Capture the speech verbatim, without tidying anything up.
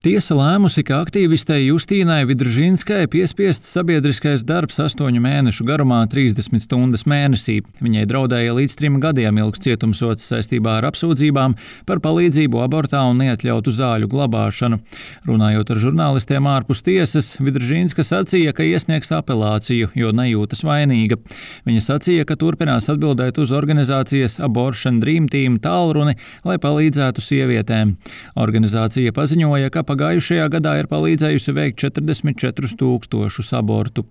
Tiesa lēmusi, ka aktīvistei Justīnai Vidržīnskai piespiests sabiedriskais darbs astoņu mēnešu garumā trīsdesmit stundas mēnesī. Viņai draudēja līdz trim gadiem ilgs cietumsods saistībā ar apsūdzībām par palīdzību abortā un neatļautu zāļu glabāšanu. Runājot ar žurnālistiem ārpus tiesas, Vidržīnska sacīja, ka iesniegs apelāciju, jo nejūtas vainīga. Viņa sacīja, ka turpinās atbildēt uz organizācijas Abortion Dream Team tālruni, lai palīdzētu sievietēm. Organizācija paziņoja, ka pagājušajā gadā ir palīdzējusi veikt četrdesmit četrus tūkstošus abortu.